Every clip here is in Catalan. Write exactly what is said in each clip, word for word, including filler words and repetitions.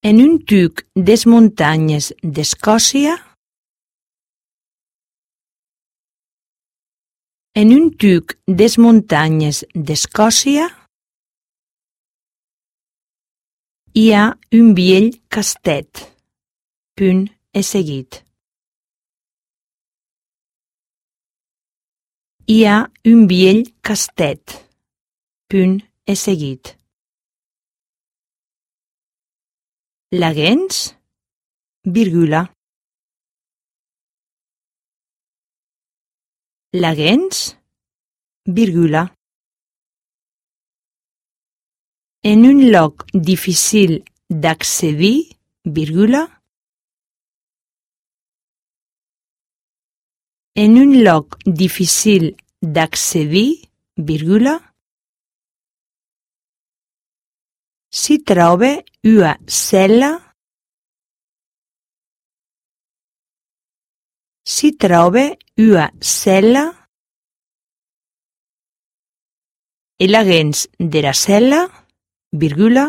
En un tuc des muntanyes d'Escòcia, en un tuc des muntanyes d'Escòcia, hi ha un vell castet, punt e seguit. Hi ha un vell castet, punt e seguit. Laguens, virgula. Laguens, virgula. En un lloc difícil d'accedir, virgula. En un lloc difícil d'accedir, virgula, si troba una cel·la, si troba una cel·la, e laguens dera cel·la, virgula,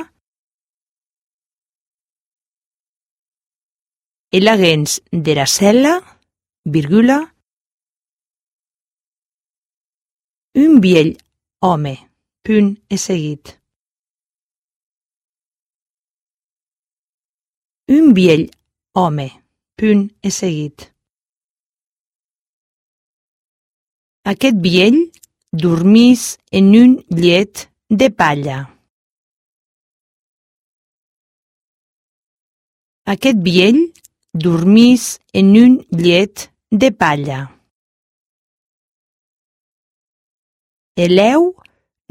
e laguens dera cel·la, virgula, un vell home, punt e seguit. Un vell home, punt e seguit. Aquest vell dormís en un llet de palla. Aquest vell dormís en un llet de palla. Eleu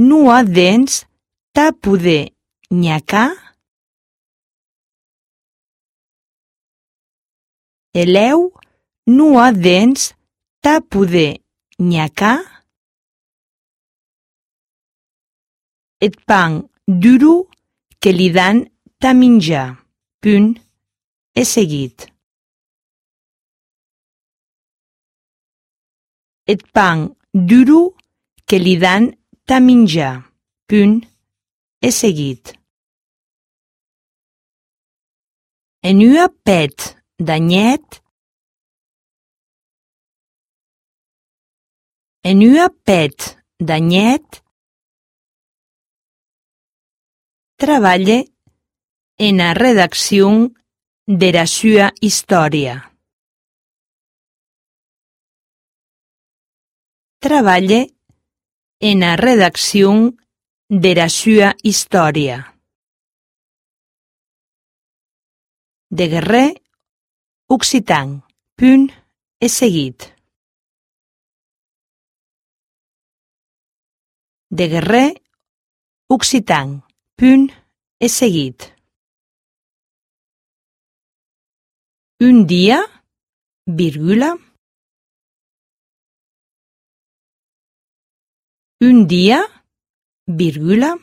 non ha dents ta poder nhacar. Eleu non ha dents ta poder nhacar. Et pan duro que li dan ta menjar, punt e seguit. Et pan duro que li dan ta menjar, punt e seguit. En ua pet d'anyet, en ua pet d'anyet, traballe en a redacción dera sua historia. Traballe en a redacción dera sua historia. De guerrer occitan, punt e seguit. De guerrer occitan, punt e seguit. Un dia, virgula. Un dia, virgula.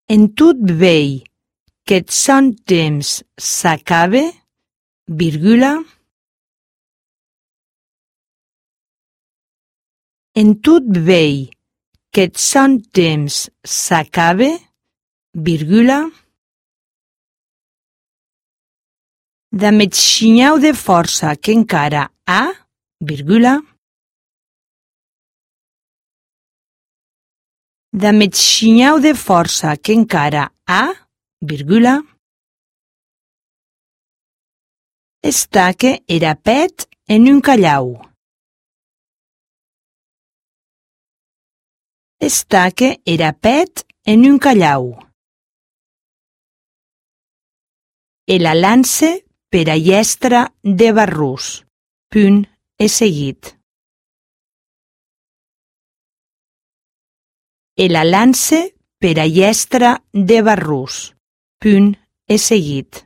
En tot vell qu'eth son temps s'acabe, virgula. En tot vell qu'eth son temps s'acabe, virgula. Damb xinhau de força qu'encara ha, virgula. Damb xinhau de força qu'encara ha, virgula. Estaque era pet en un callau. Estaque era pet en un callau. E la lance per a llestra de barrús, punt e seguit. E la lance per a llestra de barrús, punt e seguit.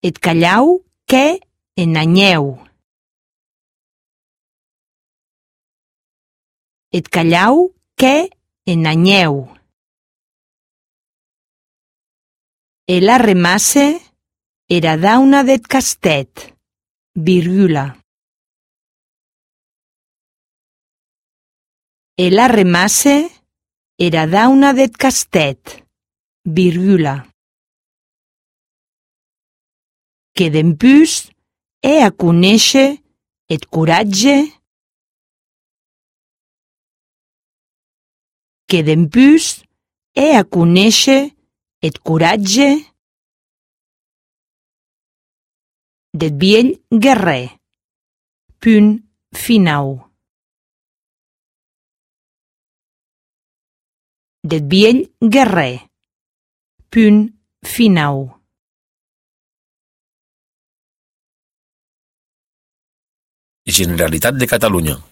Et callau que en anyeu. Et callau que en anyeu. E la remasse era dauna deth castet, virgula. E la remasse Era dauna deth castet, virgula. Que dempús è a conéisher eth coratge, que dempús è a conéisher eth coratge deth vielh guerrer. Punt finau. Deth vielh guerrer. Punt finau. Generalitat de Catalunya.